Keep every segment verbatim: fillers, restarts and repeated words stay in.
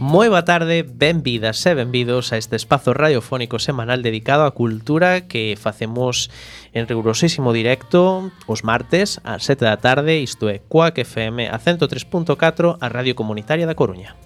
Moi boa tarde, benvidas e benvidos a este espazo radiofónico semanal dedicado á cultura que facemos en rigurosísimo directo os martes ás sete da tarde, isto é Cuac F M a cento tres punto catro, a Radio Comunitaria da Coruña.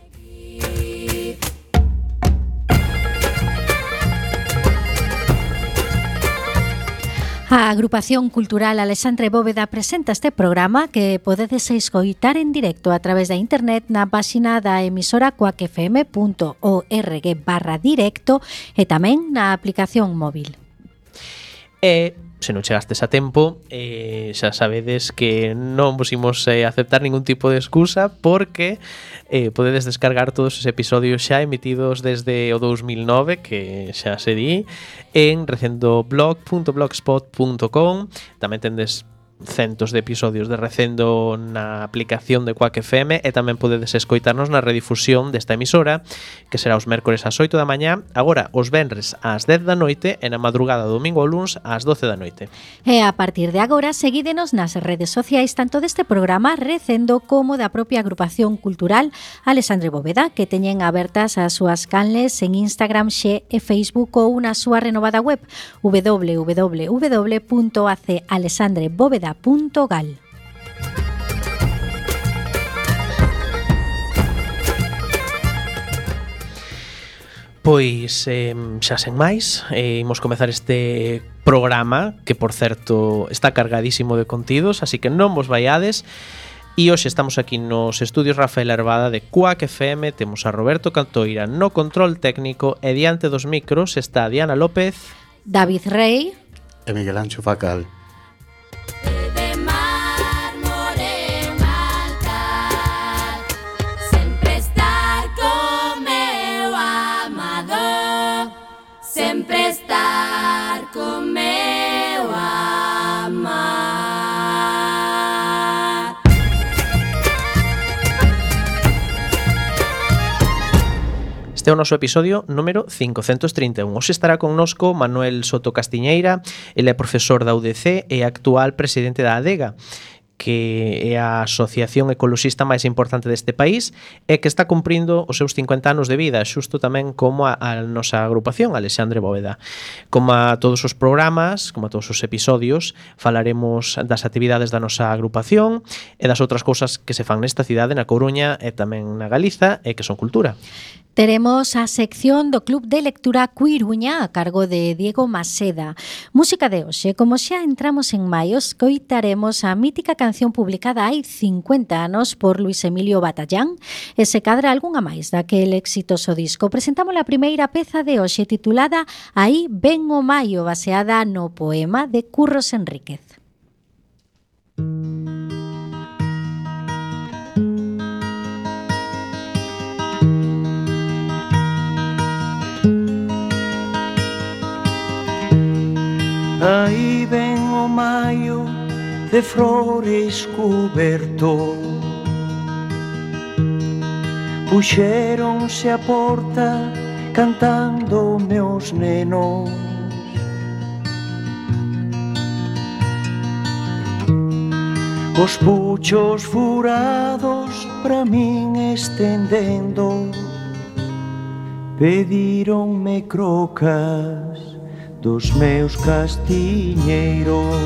A Agrupación Cultural Alexandre Bóveda presenta este programa que podedes escoitar en directo a través da internet na páxina da emisora cuacfm punto org barra directo e tamén na aplicación móvil. E se non chegastes a tempo, eh, xa sabedes que non vos imos eh, aceptar ningún tipo de excusa porque eh, podedes descargar todos os episodios xa emitidos desde o dous mil nove, que xa se di, en recendoblog punto blogspot punto com. Tamén tendes centos de episodios de Recendo na aplicación de Cuac F M e tamén podedes escoitarnos na redifusión desta emisora, que será os mércores ás oito da mañá, agora os venres ás dez da noite e na madrugada domingo ou luns ás doce da noite. E a partir de agora seguídenos nas redes sociais tanto deste programa Recendo como da propia Agrupación Cultural Alexandre Bóveda, que teñen abertas as súas canles en Instagram, Xe e Facebook ou na súa renovada web w w w punto a c alexandre bóveda punto gal. Pois eh, xa sen máis, eh, imos comezar este programa que, por certo, está cargadísimo de contidos, así que non vos vaiades. E hoxe estamos aquí nos estudios Rafael Arbada de Cuac F M, temos a Roberto Cantoira no control técnico e diante dos micros está Diana López, David Rey e Miguel Ancho Facal. Sempre estar con meu amar. Este é o noso episodio número cincocentos trinta e un. Hoxe estará connosco Manuel Soto Castiñeira. Ele é profesor da U D C e actual presidente da ADEGA, que é a asociación ecoloxista máis importante deste país e que está cumprindo os seus cincuenta anos de vida, xusto tamén como a, a nosa agrupación Alexandre Bóveda. Como a todos os programas, como a todos os episodios, falaremos das actividades da nosa agrupación e das outras cousas que se fan nesta cidade, na Coruña e tamén na Galiza, e que son cultura. Teremos a sección do Club de Lectura Cuiruña a cargo de Diego Maseda. Música de hoxe, como xa entramos en maio, escoitaremos a mítica canción publicada hai cincuenta anos por Luis Emilio Batallán e se cadra algunha máis daquel exitoso disco. Presentamos a primeira peza de hoxe titulada Aí ven o maio, baseada no poema de Curros Enríquez. Aí ven o maio de flores cuberto, puxéronse a porta cantando meus nenos. Os puchos furados pra min estendendo, pedironme crocas dos meus castiñeiros.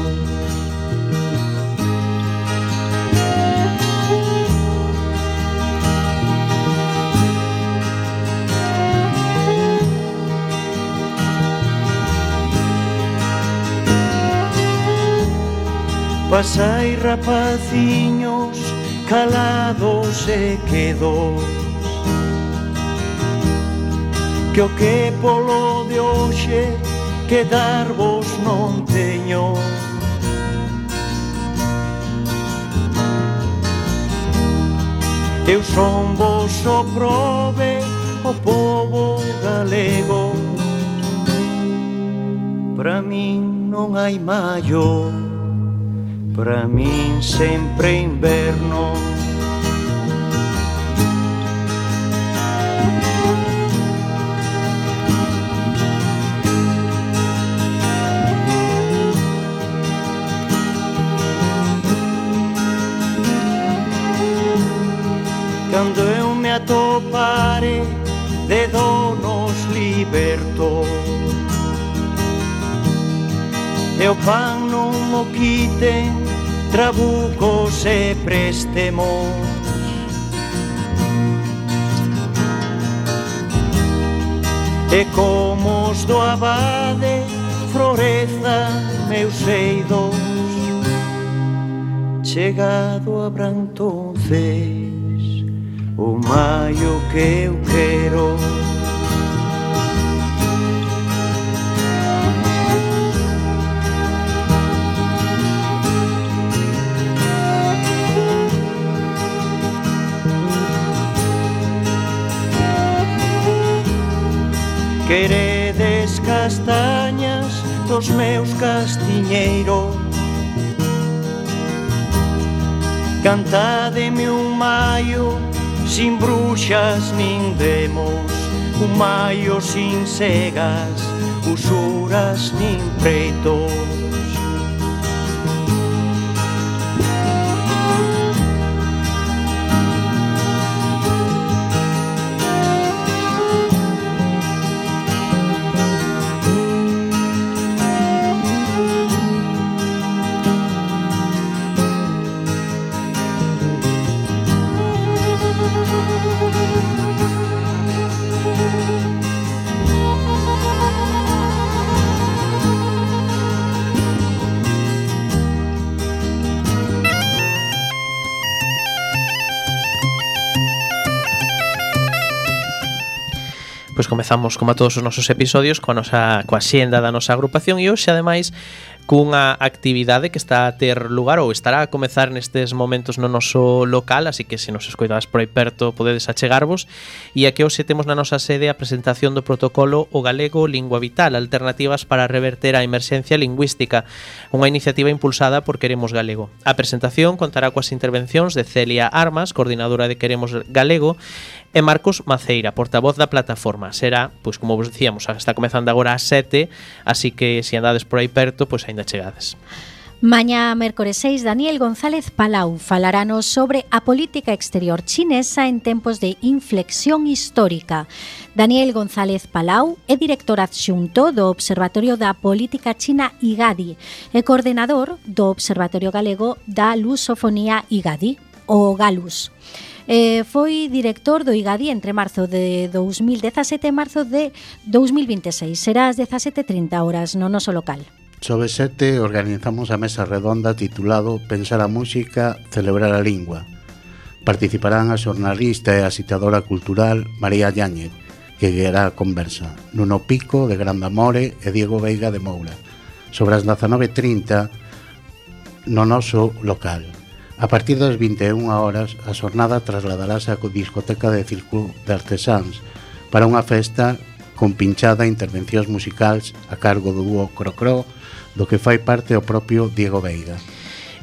Pasai rapaciños calados e quedos, que o que polo de hoxe quedarvos non teño. Eu son vos o prove, o povo galego. Pra min non hai maio, pra min sempre inverno. Cando eu me ato do pare de donos libertos. E o pan non mo quiten trabucos e préstemos. E como os do abade floreza meus eidos, chegado a Brantonces o maio que eu quero. Queredes castañas dos meus castiñeiros, cantádeme un maio sin bruxas nin demos, un maio sin cegas, usuras nin preitos. Pois comezamos, como a todos os nosos episodios, coa nosa coa xenda da nosa agrupación, e hoxe, ademais, cunha actividade que está a ter lugar ou estará a comezar nestes momentos no noso local, así que se nos escoitades por aí perto podedes achegarvos. E aquí hoxe temos na nosa sede a presentación do protocolo O Galego Lingua Vital, alternativas para reverter a emerxencia lingüística, unha iniciativa impulsada por Queremos Galego. A presentación contará coas intervencións de Celia Armas, coordinadora de Queremos Galego, e Marcos Maceira, portavoz da plataforma. Será, pois como vos dicíamos, está comezando agora ás sete, así que se andades por aí perto, pois aínda chegades. Mañá, mércores seis, Daniel González Palau falaranos sobre a política exterior chinesa en tempos de inflexión histórica. Daniel González Palau é director adxunto do Observatorio da Política China I G A D I e coordenador do Observatorio Galego da Lusofonía I G A D I, o GALUS. Eh, foi director do I G A D I entre marzo de dous mil dezasete e marzo de dous mil vinte e seis. Será ás dezasete e trinta horas no noso local. Sobre sete organizamos a mesa redonda titulado Pensar a música, celebrar a lingua. Participarán a xornalista e a citadora cultural María Yáñez, que guiará a conversa, Nuno Pico de Grandamore e Diego Veiga de Moura, sobre as dezanove e trinta no noso local. A partir das vinte e unha horas, a xornada trasladarase á discoteca de Círculo de Artesáns para unha festa con pinchada e intervencións musicais a cargo do dúo Crocró, do que fai parte o propio Diego Veiga.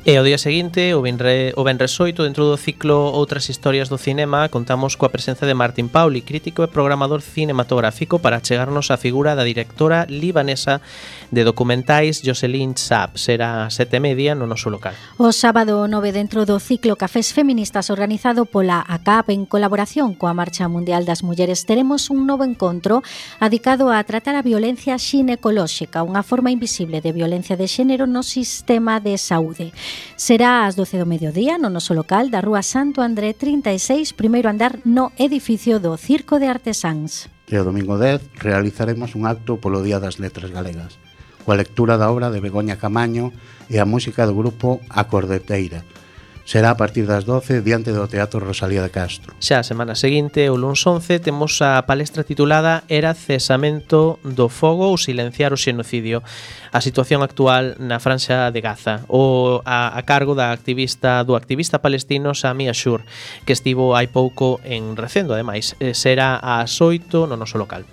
E o día seguinte, o venre, o venres oito, dentro do ciclo Outras historias do cinema, contamos coa presenza de Martín Pauli, crítico e programador cinematográfico, para chegarnos a figura da directora libanesa de documentais Jocelyn Saab. Será sete e media no noso local. O sábado nove, dentro do ciclo Cafés Feministas organizado pola A C A P en colaboración coa Marcha Mundial das Mulleres, teremos un novo encontro adicado a tratar a violencia xinecolóxica, unha forma invisible de violencia de xénero no sistema de saúde. Será ás doce do mediodía no noso local da Rúa Santo André trinta e seis, primeiro andar, no edificio do Circo de Artesáns. E o domingo dez realizaremos un acto polo Día das Letras Galegas, coa lectura da obra de Begoña Camaño e a música do grupo A Cordeteira. Será a partir das doce diante do Teatro Rosalía de Castro. Xa a semana seguinte, o luns once, temos a palestra titulada Era cesamento do fogo ou silenciar o xenocidio, a situación actual na Franxa de Gaza, o a, a cargo da activista do activista palestino Sami Ashur, que estivo hai pouco en Recendo. Ademais, será ás oito no noso local.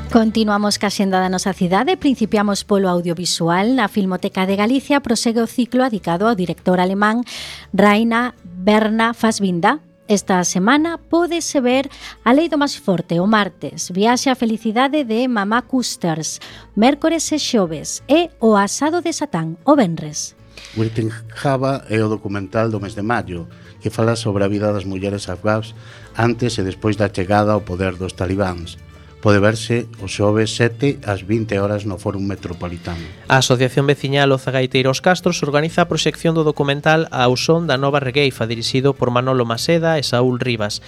Continuamos ca xenda da nosa cidade, principiamos polo audiovisual. Na Filmoteca de Galicia prosegue o ciclo adicado ao director alemán Rainer Werner Fassbinder, Esta semana pódese ver A Lei do Máis Forte o martes, Viaxe á Felicidade de Mamá Custers, mércores e xoves, e O Asado de Satán o venres. Waiting Java é o documental do mes de maio, que fala sobre a vida das mulleres afgás antes e despois da chegada ao poder dos talibáns. Pode verse o xoves sete ás vinte horas no Fórum Metropolitano. A Asociación Veciñal Oza Gaiteiros Castros organiza a proxección do documental Ao son da nova regueifa, dirixido por Manolo Maseda e Saúl Rivas.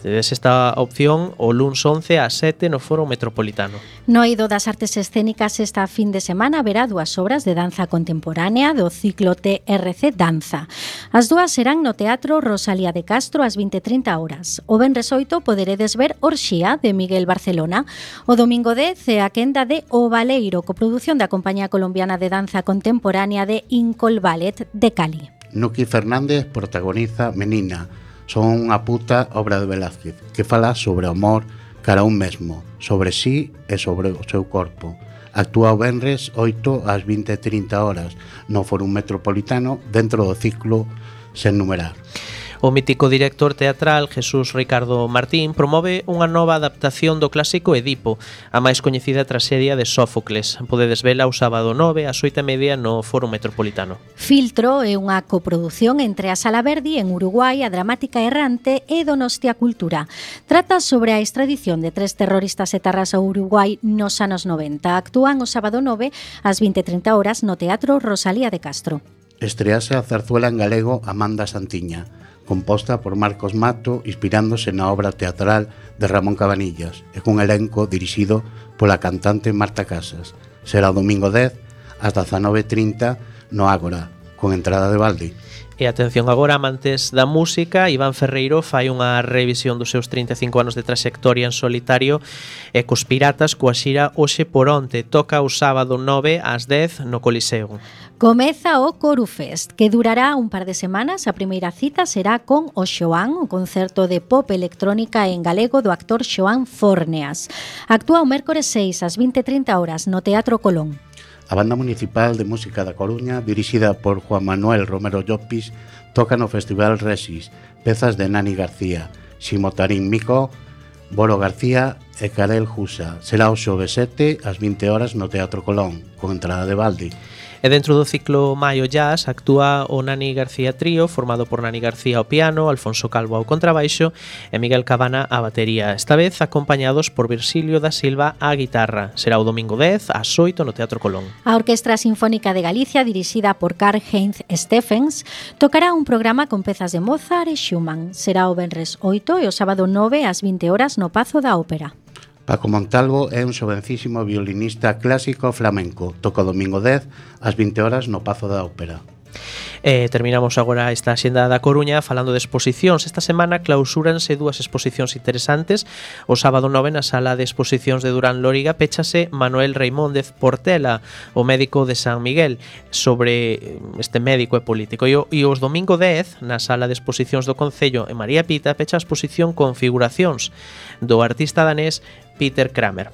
Tedes esta opción o luns once ás sete no Foro Metropolitano. No Eido das Artes Escénicas esta fin de semana haberá dúas obras de danza contemporánea do ciclo T R C Danza. As dúas serán no Teatro Rosalía de Castro ás vinte e trinta horas. O venres oito poderedes ver Orxía de Miguel Barcelona. O domingo dez é a quenda de O Baleiro, coprodución da Compañía Colombiana de Danza Contemporánea de Incol Ballet de Cali. Nuki Fernández protagoniza Menina, son unha puta obra de Velázquez, que fala sobre o amor cara a un mesmo, sobre sí e sobre o seu corpo. Actúa o venres oito ás vinte e trinta horas no Fórum Metropolitano dentro do ciclo Sen Numerar. O mítico director teatral Jesús Ricardo Martín promove unha nova adaptación do clásico Edipo, a máis coñecida traxedia de Sófocles. Podedes vela o sábado nove ás oito e media no Foro Metropolitano. Filtro é unha coprodución entre a Sala Verdi en Uruguai, a Dramática Errante e Donostia Cultura. Trata sobre a extradición de tres terroristas etarras ao Uruguai nos anos noventa. Actúan o sábado nove ás vinte e trinta horas no Teatro Rosalía de Castro. Estrease a zarzuela en galego Amanda Santiña, composta por Marcos Mato, inspirándose na obra teatral de Ramón Cabanillas, e cun elenco dirixido pola cantante Marta Casas. Será o domingo dez ás dezanove e trinta no Ágora, con entrada de balde. E atención agora, amantes da música, Iván Ferreiro fai unha revisión dos seus trinta e cinco anos de trayectoria en solitario e cos Piratas coa xira Oxe por Onte. Toca o sábado nove ás dez no Coliseo. Comeza o Corufest, que durará un par de semanas. A primeira cita será con o Xoán, o concerto de pop electrónica en galego do actor Xoán Forneas. Actúa o mércores seis ás vinte e trinta horas no Teatro Colón. A Banda Municipal de Música da Coruña, dirixida por Juan Manuel Romero Llopis, toca no Festival Resis pezas de Nani García, Ximotarín Mico, Boro García e Karel Jusa. Será o xoves sete ás vinte horas no Teatro Colón, con entrada de balde. E dentro do ciclo Maio Jazz actúa o Nani García Trío, formado por Nani García ao piano, Alfonso Calvo ao contrabaixo e Miguel Cabana á batería, esta vez acompañados por Virxilio da Silva á guitarra. Será o domingo dez ás oito no Teatro Colón. A Orquestra Sinfónica de Galicia, dirixida por Karl-Heinz Steffens, tocará un programa con pezas de Mozart e Schumann. Será o venres oito e o sábado nove ás vinte horas no Pazo da Ópera. Paco Montalvo é un xovencísimo violinista clásico flamenco. Toca o domingo dez ás vinte horas no Pazo da Ópera. E terminamos agora esta axenda da Coruña falando de exposicións. Esta semana clausúranse dúas exposicións interesantes. O sábado nove na sala de exposicións de Durán Lóriga péchase Manuel Reimóndez Portela, o médico de San Miguel, sobre este médico e político. E, o, e os domingo dez na sala de exposicións do Concello en María Pita pecha a exposición Configuracións do artista danés Peter Kramer.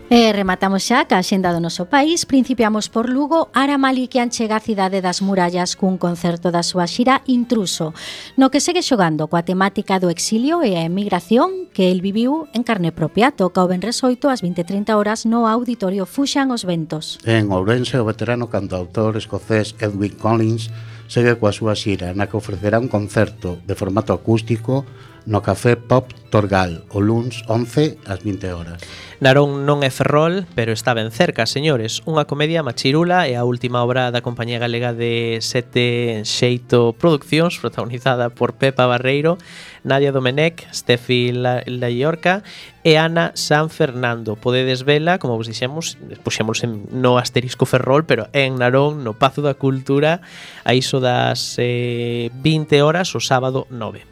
E rematamos xa ca axenda do noso país. Principiamos por Lugo. Ara Malikian chega á cidade das murallas cun concerto da súa xira Intruso, no que segue xogando coa temática do exilio e a emigración que el viviu en carne propia. Toca o venres oito ás vinte e trinta horas no Auditorio Fuxan os Ventos. En Ourense, o veterano cantautor escocés Edwin Collins segue coa súa xira, na que ofrecerá un concerto de formato acústico no Café Pop Torgal o luns once ás vinte horas. Narón non é Ferrol, pero está ben cerca, señores. Unha comedia machirula e a última obra da compañía galega de Sete Xeito Produccións, protagonizada por Pepa Barreiro, Nadia Domenech, Steffi Laiorca e Ana San Fernando. Podedes vela, como vos dixemos, puxemos en, no asterisco Ferrol, pero en Narón, no Pazo da Cultura, a iso das eh, vinte horas o sábado nove.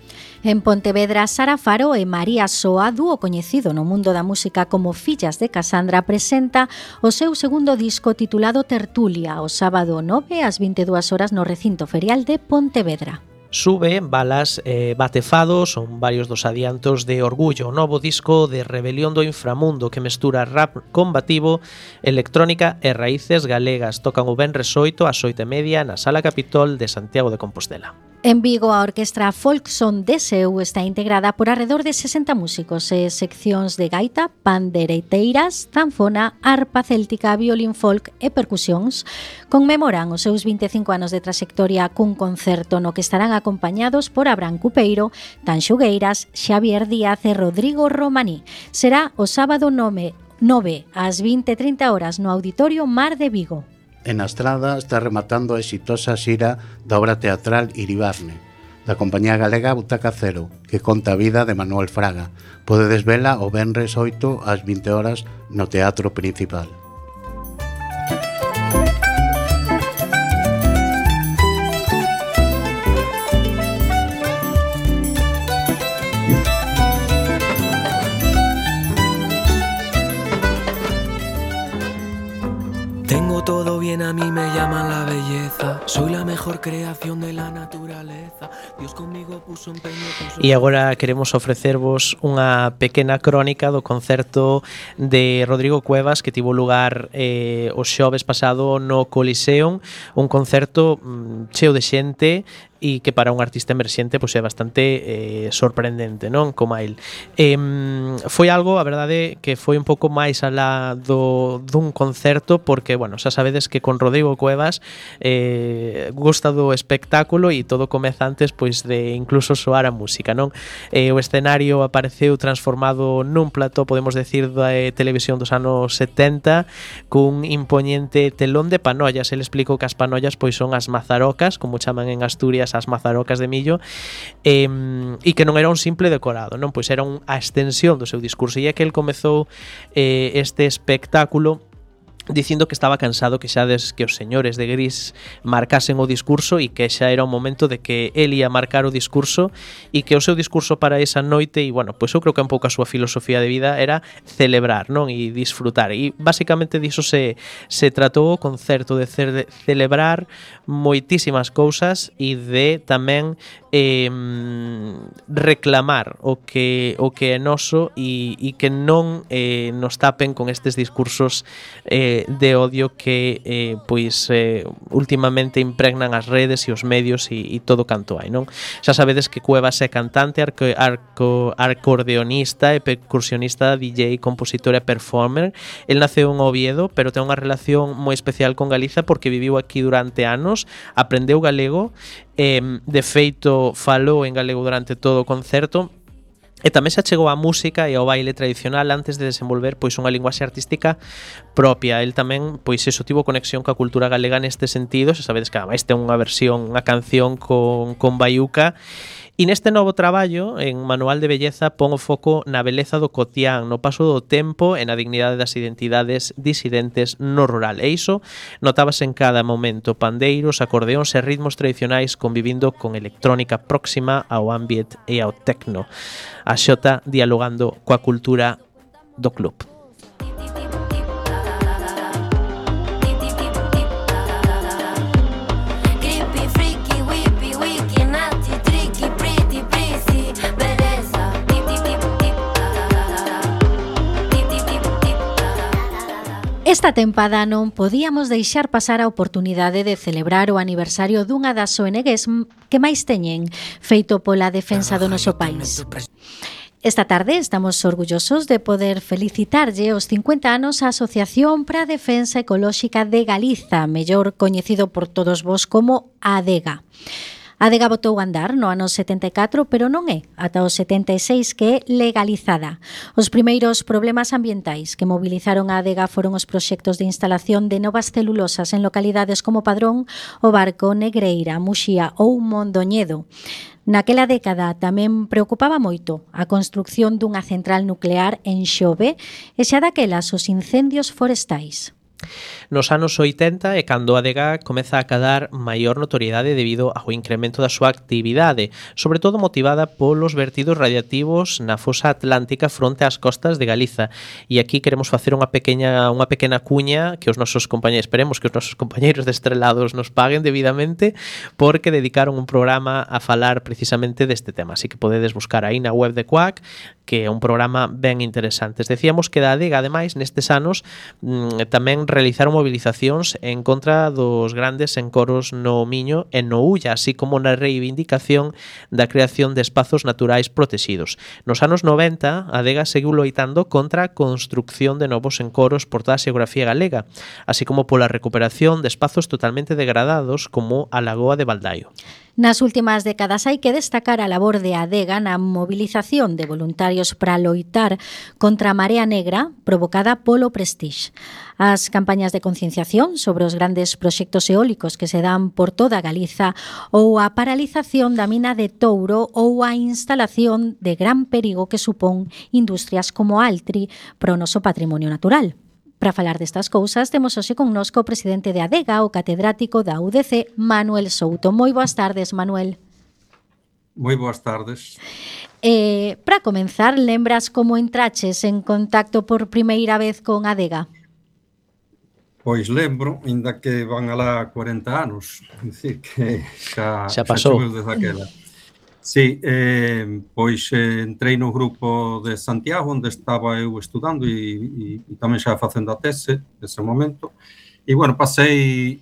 En Pontevedra, Sara Faro e María Soa, dúo coñecido no mundo da música como Fillas de Casandra, presenta o seu segundo disco titulado Tertulia, o sábado nove ás vinte e dúas horas no recinto ferial de Pontevedra. Sube, Balas, eh, Bate Fado son varios dos adiantos de Orgullo, o novo disco de Rebelión do Inframundo que mestura rap combativo, electrónica e raíces galegas. Tocan o venres oito ás oito e media na Sala Capitol de Santiago de Compostela. En Vigo, a orquestra Folkson de Seu está integrada por arredor de sesenta músicos e seccións de gaita, pandereteiras, zanfona, arpa céltica, violín folk e percusións. Conmemoran os seus vinte e cinco anos de trayectoria cun concerto no que estarán acompañados por Abraham Cupeiro, Tanxo Gueiras, Xavier Díaz e Rodrigo Romaní. Será o sábado nove ás vinte e trinta horas no Auditorio Mar de Vigo. En a Estrada está rematando a exitosa xira da obra teatral Iribarne, da compañía galega Butaca Cero, que conta a vida de Manuel Fraga. Podedes vela o venres oito ás vinte horas no Teatro Principal. Tengo todo bien, a mí me llaman la belleza. Soy la mejor creación de la naturaleza. Dios conmigo puso empeño. E agora queremos ofrecervos unha pequena crónica do concerto de Rodrigo Cuevas que tivo lugar eh, o xoves pasado no Coliseum, un concerto mm, cheo de xente e que para un artista emerxente pois é bastante eh, sorprendente, non? Como a el. Eh, foi algo, a verdade, que foi un pouco máis alá do, dun concerto porque, bueno, xa sabedes que con Rodrigo Cuevas eh, gusta do espectáculo e todo comeza antes pois de incluso soar a música, non? Eh, o escenario apareceu transformado nun plató, podemos decir, da eh, televisión dos anos setenta cun impoñente telón de panollas. El explicou que as panollas pois son as mazarocas, como chaman en Asturias as mazarocas de millo, eh, e que non era un simple decorado, non, pois era un, a extensión do seu discurso, e é que el comezou eh, este espectáculo dicindo que estaba cansado que xa des que os señores de gris marcasen o discurso e que xa era o momento de que el ia marcar o discurso e que o seu discurso para esa noite, e bueno, pois eu creo que un pouco a súa filosofía de vida era celebrar, non? E disfrutar, e basicamente diso se, se tratou o concerto, de, ce, de celebrar moitísimas cousas e de tamén eh, reclamar o que o que é noso e, e que non eh, nos tapen con estes discursos eh, de odio que eh, pois eh, últimamente impregnan as redes e os medios e, e todo canto hai, non? Xa sabedes que Cuevas é cantante, arco, arco, acordeonista e percusionista, D J, compositor e performer. El naceu en Oviedo, pero ten unha relación moi especial con Galiza porque viviu aquí durante anos, aprendeu galego, eh, de feito falou en galego durante todo o concerto. E tamén se achegou á música e ao baile tradicional antes de desenvolver pois unha linguaxe artística propia. El tamén pois eso tivo conexión coa cultura galega neste sentido. Se sabedes que ademais ten unha versión, unha canción con, con Baiuca. E neste novo traballo, en Manual de Belleza, pon o foco na beleza do cotián, no paso do tempo e na dignidade das identidades disidentes no rural. E iso notábase en cada momento: pandeiros, acordeóns e ritmos tradicionais convivindo con electrónica próxima ao ambient e ao techno. A Xota dialogando coa cultura do club. Esta tempada non podíamos deixar pasar a oportunidade de celebrar o aniversario dunha das O N Gs que máis teñen feito pola defensa do noso país. Esta tarde estamos orgullosos de poder felicitarlle os cincuenta anos á Asociación para a Defensa Ecolóxica de Galiza, mellor coñecido por todos vos como ADEGA. A Adega botou a andar no ano setenta e catro, pero non é ata o setenta e seis que é legalizada. Os primeiros problemas ambientais que movilizaron a Adega foron os proxectos de instalación de novas celulosas en localidades como Padrón, O Barco, Negreira, Muxía ou Mondoñedo. Naquela década tamén preocupaba moito a construcción dunha central nuclear en Xove e xa daquelas os incendios forestais. Nos anos oitenta é cando a adega comeza a cadar maior notoriedade debido ao incremento da súa actividade, sobre todo motivada polos vertidos radiativos na fosa atlántica fronte ás costas de Galiza. E aquí queremos facer unha pequena unha pequena cuña que os nosos compañeiros, esperemos que os nosos compañeiros de Estrelados nos paguen debidamente, porque dedicaron un programa a falar precisamente deste tema. Así que podedes buscar aí na web de Quack, que é un programa ben interesante. Decíamos que da adega, ademais, nestes anos mmm, tamén realizaron movilizacións en contra dos grandes encoros no Miño e no Ulla, así como na reivindicación da creación de espazos naturais protegidos. Nos anos noventa, a adega seguiu loitando contra a construcción de novos encoros por toda a xeografía galega, así como pola recuperación de espazos totalmente degradados como a Lagoa de Baldaio. Nas últimas décadas hai que destacar a labor de adega na movilización de voluntarios para loitar contra a marea negra provocada polo Prestige. As campañas de concienciación sobre os grandes proxectos eólicos que se dan por toda Galiza ou a paralización da mina de Touro ou a instalación de gran perigo que supón industrias como Altri para o noso patrimonio natural. Para falar destas cousas, temos hoxe connosco o presidente de adega, o catedrático da U D C, Manuel Souto. Moi boas tardes, Manuel. Moi boas tardes. Eh, para comenzar, lembras como entraches en contacto por primeira vez con adega? Pois lembro, ainda que van alá cuarenta anos, dicir que xa, xa pasou desde aquela. Sí, eh, pois eh, entrei no grupo de Santiago, onde estaba eu estudando e, e, e tamén xa facendo a tese nese momento. E, bueno, pasei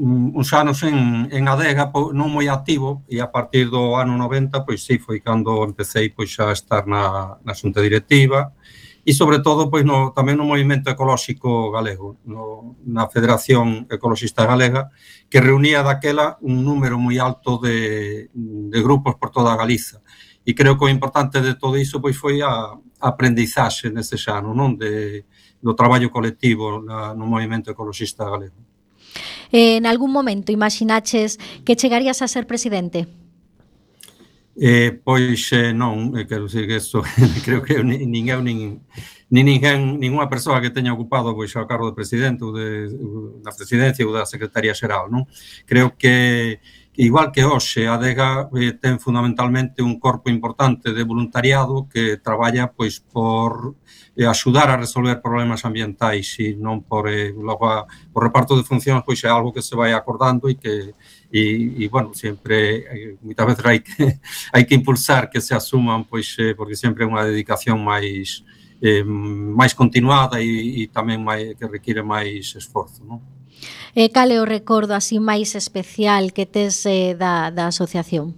um, uns anos en, en adega, po, non moi activo, e a partir do ano noventa, pois sí, foi cando empecé pois, a estar na, na xunta directiva e, sobre todo, pois, no, tamén no movimento ecolóxico galego, no, na Federación Ecologista Galega, que reunía daquela un número moi alto de, de grupos por toda a Galiza. E creo que o importante de todo iso pois, foi a, a aprendizaxe nese xano, non? De, do traballo colectivo na, no movimento ecologista galego. En algún momento imaginaches que chegarías a ser presidente? Eh, pois eh, non, eh, quero dicir que eso creo que nin, nin eu nin, nin ninguén, ninguna persoa que teña ocupado pois, o cargo de presidente ou de, da presidencia ou da secretaría xeral, non? Creo que igual que hoxe a adega eh, ten fundamentalmente un corpo importante de voluntariado que traballa pois por eh, axudar a resolver problemas ambientais e non por eh, logo a, o reparto de funcións pois é algo que se vai acordando e que e, e bueno, sempre eh, moitas veces hai que hai que impulsar que se asuman pois eh, porque sempre é unha dedicación máis eh, máis continuada e, e tamén máis, que require máis esforzo, non? E cal é o recordo así máis especial que tes eh, da, da asociación?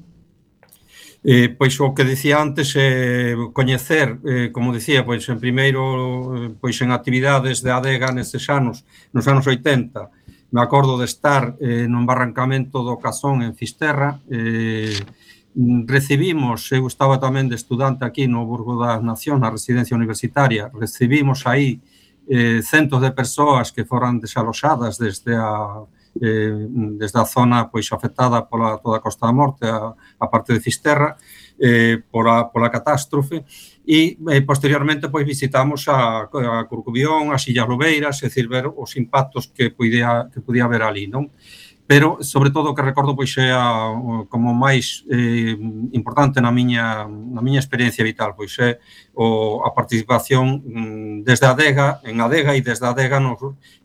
Eh, pois o que dicía antes, eh, coñecer, eh, como dicía, pois en primeiro, pois en actividades de adega nestes anos, nos anos oitenta, me acordo de estar eh, nun barrancamento do Casón en Fisterra, eh, recibimos, eu estaba tamén de estudante aquí no Burgo das Nacións, na residencia universitaria, recibimos aí Eh, centos de persoas que foran desaloxadas desde a, eh, desde a zona pois, afectada pola toda a Costa da Morte, a, a parte de Fisterra, eh, pola, pola catástrofe, e eh, posteriormente pois, visitamos a, a Corcubión, as Illas Lobeiras, é dicir, ver os impactos que podía, que podía haber ali, non? Pero, sobre todo, o que recordo pois, é a, como máis eh, importante na miña, na miña experiencia vital, pois é o, a participación mm, desde a adega, en adega e desde a adega no,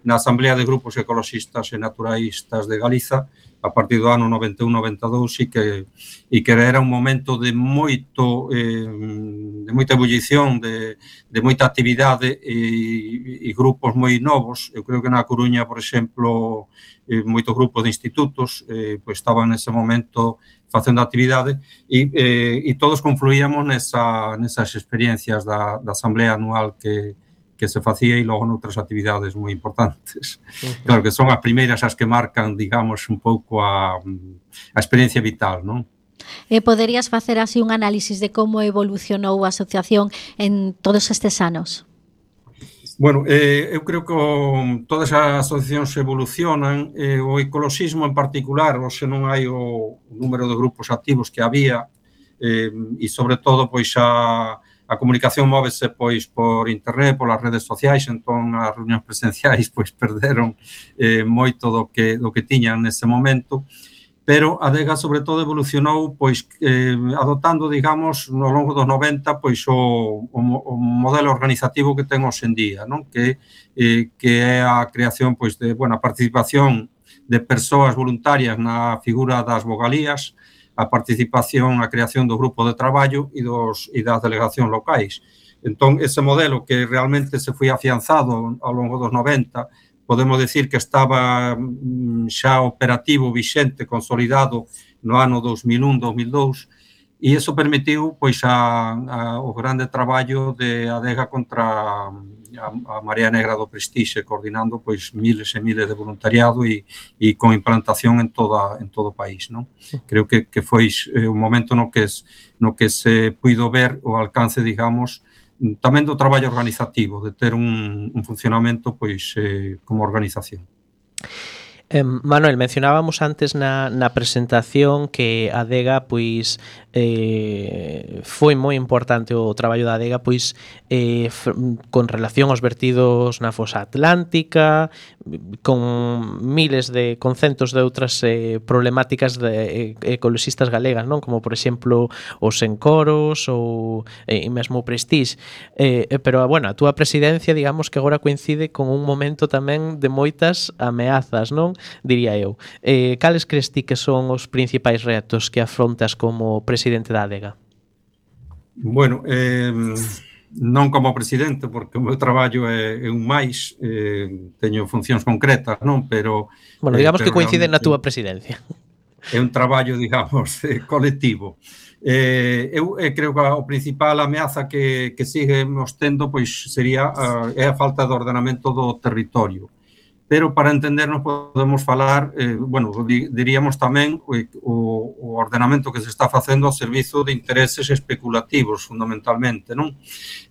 na Asamblea de Grupos Ecologistas e Naturalistas de Galiza a partir do ano noventa e un noventa e dous e que, e que era un momento de moito eh, de moita ebullición, de, de moita actividade e, e grupos moi novos. Eu creo que na Coruña, por exemplo, eh, moitos grupos de institutos eh, pois estaban nese momento facendo actividade e, eh, e todos confluíamos nesa, nesas experiencias da, da Asamblea Anual que que se facía e logo noutras actividades moi importantes. Uh-huh. Claro que son as primeiras as que marcan, digamos, un pouco a, a experiencia vital, non? E poderías facer así un análisis de como evolucionou a asociación en todos estes anos? Bueno, eh, eu creo que o, todas as asociacións evolucionan, eh, o ecoloxismo en particular, hoxe non hai o número de grupos activos que había, eh, e sobre todo, pois, a a comunicación móvese pois por internet, polas redes sociais, entón as reunións presenciais pois perderon eh, moito do que, do que tiñan nese momento, pero a Adega sobre todo evolucionou pois eh, adoptando, digamos, no longo dos noventa pois o, o, o modelo organizativo que ten hoxe en día, non? Que, eh, que é a creación pois de, bueno, a participación de persoas voluntarias na figura das vogalías, a participación, a creación do grupo de traballo e, dos, e das delegacións locais. Entón, ese modelo que realmente se foi afianzado ao longo dos noventa, podemos decir que estaba xa operativo, vixente, consolidado no ano dos mil un, dos mil dous, e iso permitiu pois, a, a, o grande traballo de Adega contra a, a Marea Negra do Prestixe, coordinando pois, miles e miles de voluntariado e, e con implantación en, toda, en todo o país. Non? Creo que, que foi eh, un momento no que, es, no que se puido ver o alcance, digamos, tamén do traballo organizativo, de ter un, un funcionamento pois, eh, como organización. Eh, Manuel, mencionábamos antes na, na presentación que a Adega pois eh, foi moi importante o traballo da Adega pois eh, f- con relación aos vertidos na fosa atlántica, con miles de con centos de outras eh, problemáticas de, eh, ecoloxistas galegas, non? Como por exemplo os encoros ou eh, e mesmo o Prestige, eh, pero bueno, a túa presidencia digamos que agora coincide con un momento tamén de moitas ameazas, non? Diría eu. Eh, cales crees ti que son os principais retos que afrontas como presidente da Adega? Bueno, eh, non como presidente, porque o meu traballo é, é un máis, eh, teño funcións concretas, non? Pero bueno, digamos eh, que coincide na túa presidencia. É un traballo, digamos, eh, colectivo. Eh, eu eh, creo que o principal ameaza que, que seguimos tendo pois sería uh, é a falta de ordenamento do territorio. Pero para entendernos podemos falar, eh, bueno, diríamos tamén o, o ordenamento que se está facendo ao servizo de intereses especulativos, fundamentalmente, non?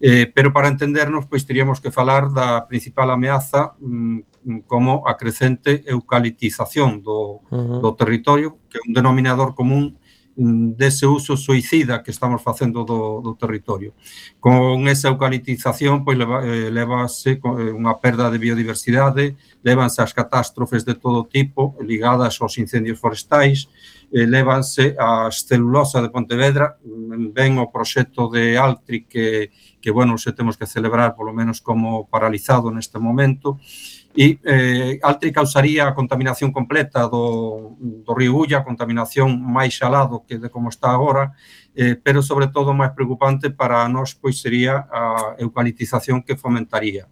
Eh, pero para entendernos, pois, teríamos que falar da principal ameaza mm, como a crecente eucaliptización do, uh-huh. do territorio, que é un denominador común dese uso suicida que estamos facendo do, do territorio. Con esa eucaliptización, pois, leva, eh, levase unha perda de biodiversidade, levanse as catástrofes de todo tipo ligadas aos incendios forestais, eh, levanse as celulosa de Pontevedra, ven o proxecto de Altri que, que, bueno, se temos que celebrar polo menos como paralizado neste momento, e eh, Altri causaría a contaminación completa do, do río Ulla, a contaminación máis xalado que de como está agora, eh, pero sobre todo máis preocupante para nós pois sería a eucaliptización que fomentaría.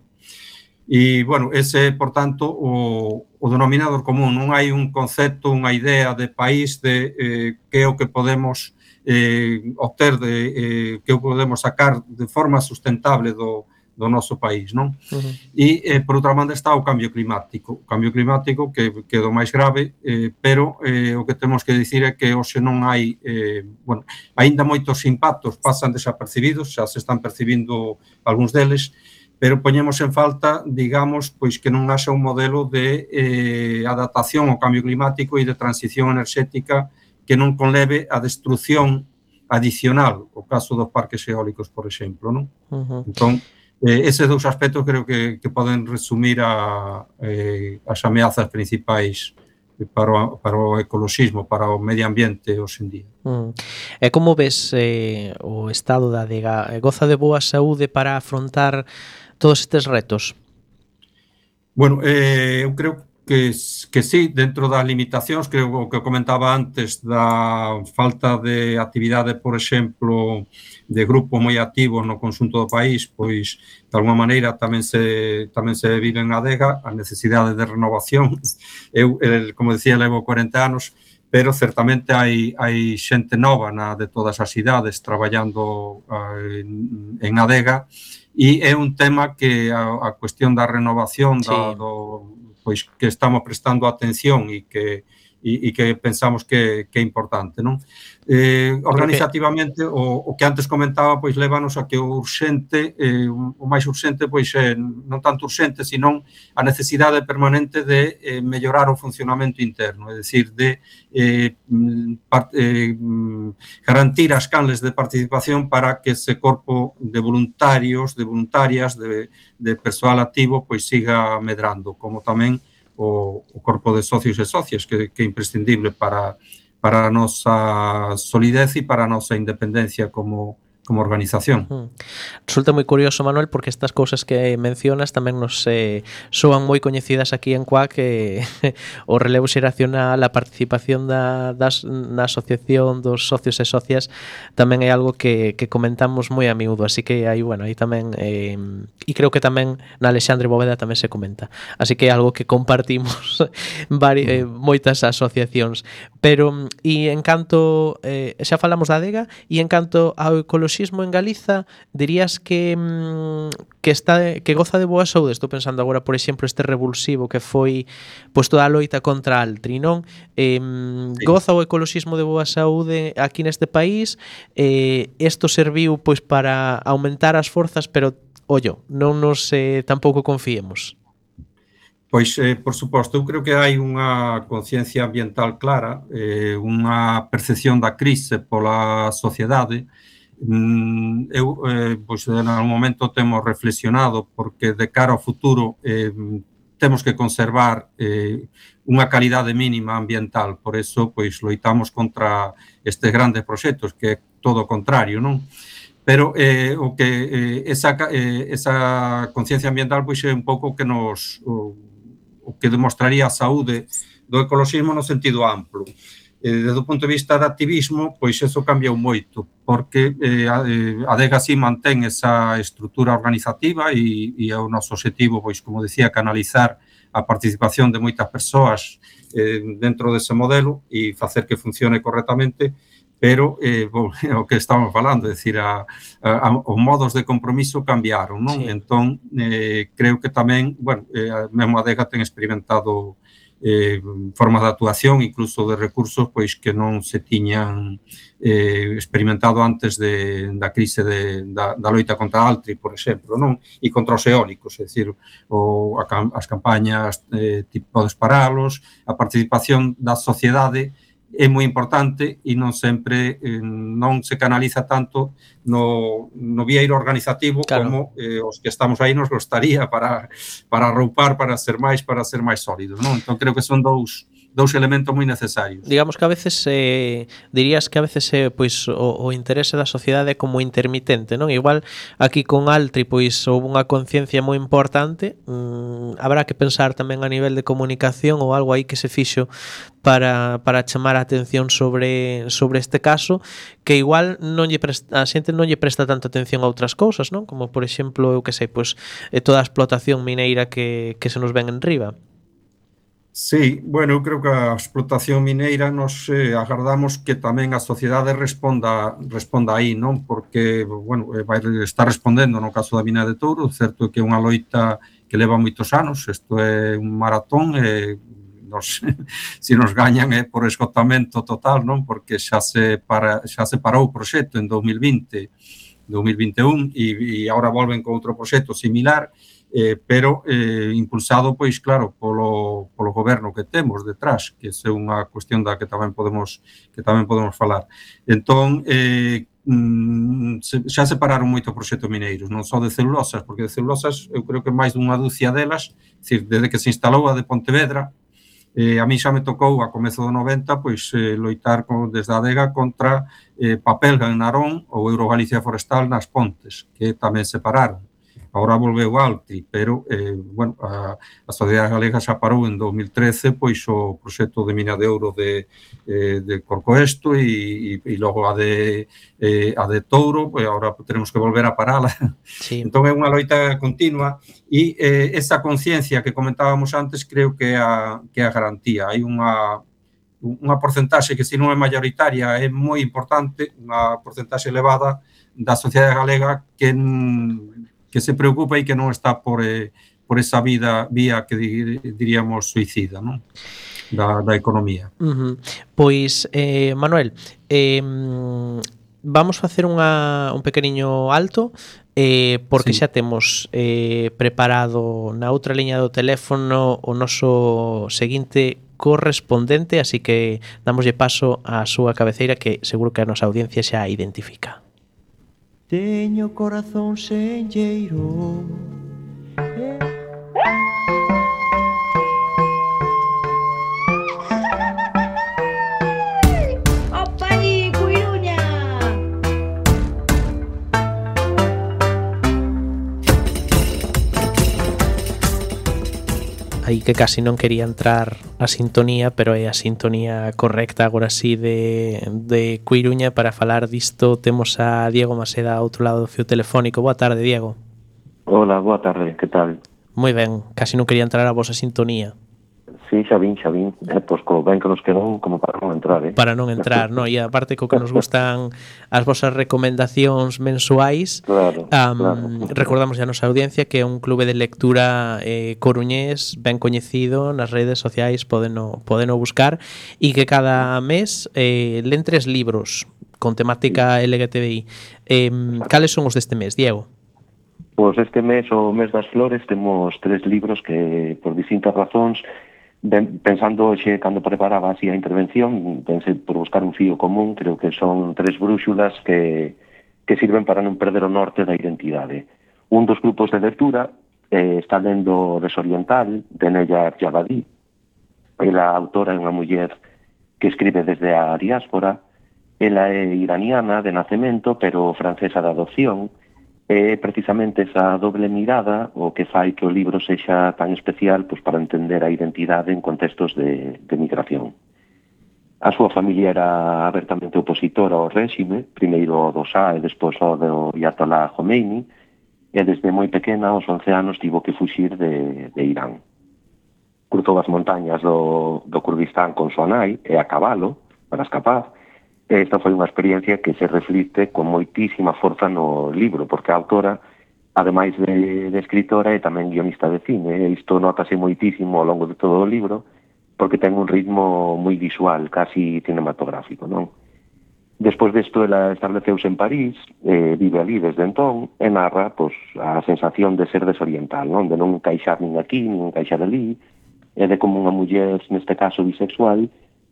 E, bueno, ese, por tanto, o, o denominador común. Non hai un concepto, unha idea de país de eh, que é o que podemos eh, obter, de, eh, que o podemos sacar de forma sustentable do do noso país, non? Uh-huh. E, eh, por outra banda, está o cambio climático. O cambio climático que, que é do máis grave, eh, pero eh, o que temos que dicir é que hoxe non hai, eh, bueno, aínda moitos impactos pasan desapercibidos, xa se están percibindo algúns deles, pero poñemos en falta, digamos, pois que non haxa un modelo de eh, adaptación ao cambio climático e de transición enerxética que non conleve a destrucción adicional, o caso dos parques eólicos, por exemplo, non? Uh-huh. Entón, Eh, eses dous aspectos creo que, que poden resumir a, eh, as ameazas principais para o, para o ecoloxismo, para o medio ambiente hoxe en día. Mm. E como ves eh, o estado da Adega? Goza de boa saúde para afrontar todos estes retos? Bueno, eh, eu creo que, que sí, dentro das limitacións, creo o que comentaba antes da falta de actividade, por exemplo, de grupos moi activos no conxunto do país, pois, de alguma maneira, tamén se tamén se vive en Adega a necesidade de renovación. Eu, el, como decía, levo corenta anos, pero certamente hai, hai xente nova na, de todas as idades traballando uh, en, en Adega, e é un tema que a, a cuestión da renovación, sí. da, do, pois que estamos prestando atención e que e, e que pensamos que, que é importante, non? Eh, organizativamente, o, o que antes comentaba, pois lévanos a que o urxente, eh, o máis urxente, pois é non tanto urxente, senón a necesidade permanente de eh, mellorar o funcionamento interno, é dicir, de eh, part, eh, garantir as canles de participación para que ese corpo de voluntarios, de voluntarias, de, de persoal activo, pois siga medrando, como tamén o, o corpo de socios e socias, que, que é imprescindible para para a nosa solidez e para a nosa independencia como, como organización. Resulta moi curioso, Manuel, porque estas cousas que mencionas tamén nos eh, soan moi coñecidas aquí en Cuac, que o relevo xeracional, a participación da, das, na asociación dos socios e socias tamén é algo que, que comentamos moi a miúdo, así que aí, bueno, aí tamén eh, e creo que tamén na Alexandre Bóveda tamén se comenta, así que é algo que compartimos vari, eh, moitas asociacións, pero e en canto eh, xa falamos da adega, e en canto ao ecoloxismo en Galiza, dirías que que está que goza de boa saúde? Estou pensando agora, por exemplo, este revulsivo que foi pois toda a loita contra Altri, non? Eh, sí. Goza o ecoloxismo de boa saúde aquí neste país? Eh, isto serviu pois para aumentar as forzas, pero ollo, non nos eh, tampouco confiemos. Pois, eh, por suposto, eu creo que hai unha conciencia ambiental clara, eh, unha percepción da crise pola sociedade. Eu, eh, pois, en algún momento temos reflexionado porque de cara ao futuro eh, temos que conservar eh, unha calidade mínima ambiental, por eso, pois, loitamos contra estes grandes proxectos, que é todo o contrario, non? Pero eh, o que eh, esa, eh, esa conciencia ambiental, pois, é un pouco que nos o, o que demostraría a saúde do ecoloxismo no sentido amplo. Desde o punto de vista de activismo, pois eso cambiou moito, porque eh, a adega así mantén esa estrutura organizativa e, e é o noso objetivo, pois, como decía, canalizar a participación de moitas persoas eh, dentro dese modelo e facer que funcione correctamente, pero eh, o que estamos falando, é dicir, a, a, os modos de compromiso cambiaron, non? Sí. Entón, eh, creo que tamén, bueno, eh, mesmo a adega ten experimentado Eh, formas de actuación, incluso de recursos, pois que non se tiñan eh, experimentado antes de, da crise de, da, da loita contra Altri, por exemplo, non? E contra os eólicos, é dicir, o, a, as campañas eh, tipo Podes Paralos, a participación da sociedade é moi importante e non sempre eh, non se canaliza tanto no, no vieiro organizativo, claro, como eh, os que estamos aí nos gostaría para, para arroupar, para ser máis, para ser máis sólidos, non? Entón creo que son dous dous elementos moi necesarios. Digamos que a veces eh, dirías que a veces eh, pois o, o interese da sociedade é como intermitente, non? Igual aquí con Altri pois houve unha conciencia moi importante, mm, habrá que pensar tamén a nivel de comunicación ou algo aí que se fixo para, para chamar a atención sobre, sobre este caso, que igual non lle presta, a xente non lle presta tanta atención a outras cousas, non? Como por exemplo, eu que sei, pois toda a explotación mineira que, que se nos ven en riba. Sí, bueno, eu creo que a explotación mineira nos eh, agardamos que tamén a sociedade responda responda aí, non? Porque, bueno, vai estar respondendo no caso da mina de Touro, certo que é unha loita que leva moitos anos, isto é un maratón, e nos, se nos gañan é por esgotamento total, non? Porque xa se, para, xa se parou o proxecto en dos mil vinte, dos mil vinte e un e, e agora volven con outro proxecto similar, Eh, pero eh, impulsado, pois, claro, polo, polo goberno que temos detrás, que é unha cuestión da que tamén podemos que tamén podemos falar. Entón, eh, mm, se, xa se pararon moito proxectos mineiros, non só de celulosas, porque de celulosas eu creo que máis dunha dúcia delas, é dicir, desde que se instalou a de Pontevedra, eh, a mí xa me tocou a comezo do noventa, pois, eh, loitar con, desde a adega contra eh, Papelga en Narón ou Eurogalicia Forestal nas Pontes, que tamén se pararon. Agora volveu Altri, pero, eh, bueno, a, a Sociedade Galega xa parou en dos mil trece, pois, o proxecto de mina de ouro de, eh, de Corcoesto e, e, e logo a de, eh, a de Touro, pois agora teremos que volver a parala. Sí. Entón é unha loita continua e eh, esa conciencia que comentábamos antes creo que é a, que é a garantía. Hai unha unha porcentaxe que, se non é mayoritaria, é moi importante, unha porcentaxe elevada da sociedade galega que que se preocupa e que non está por, eh, por esa vida vía que diríamos suicida, non? da, da economía. Uh-huh. Pois, eh, Manuel, eh, vamos facer unha, un pequeniño alto, eh, porque sí. Xa temos eh, preparado na outra liña do teléfono o noso seguinte correspondente, así que damoslle paso á súa cabeceira, que seguro que a nosa audiencia xa identifica. Teño corazón senlleiro, eh. Aí que casi non quería entrar a sintonía, pero é a sintonía correcta agora sí de, de Coiruña. Para falar disto temos a Diego Maseda ao outro lado do fio telefónico. Boa tarde, Diego. Hola, boa tarde, que tal? Moi ben, casi non quería entrar a vosa sintonía. Sí, xa vin, xa vin, eh, pois como ben que nos quedou como para non entrar, eh? Para non entrar, no, e aparte co que nos gustan as vosas recomendacións mensuais. Claro, um, claro. Recordamos a nosa audiencia que é un clube de lectura eh, coruñés ben coñecido nas redes sociais, podeno, podeno buscar, e que cada mes eh, len tres libros con temática L G T B I. Eh, cales son os deste mes, Diego? Pois este mes, o mes das flores, temos tres libros que, por distintas razóns, ben, pensando xe, cando preparaba así a intervención, pensei por buscar un fío común, creo que son tres brúxulas que, que sirven para non perder o norte da identidade. Un dos grupos de lectura eh, está lendo Desoriental, de Neyar Javadi. Ela, a autora, é unha muller que escribe desde a diáspora. Ela é iraniana de nacemento, pero francesa de adopción. É precisamente esa doble mirada o que fai que o libro sexa tan especial, pois, para entender a identidade en contextos de, de migración. A súa familia era abertamente opositora ao réxime, primeiro do Shah e despois ao do Ayatollah Khomeini, e desde moi pequena, aos once anos, tivo que fuxir de, de Irán. Cruzou as montañas do, do Kurdistán con súa nai e a cabalo para escapar. Esta foi unha experiencia que se reflite con moitísima forza no libro, porque a autora, ademais de, de escritora, é tamén guionista de cine. Isto notase moitísimo ao longo de todo o libro, porque ten un ritmo moi visual, casi cinematográfico, non? Despois desto, ela estableceuse en París, eh, vive ali desde entón, e narra, pois, a sensación de ser desoriental, non? De non encaixar nin aquí, nin encaixar ali, e de como unha muller, neste caso bisexual,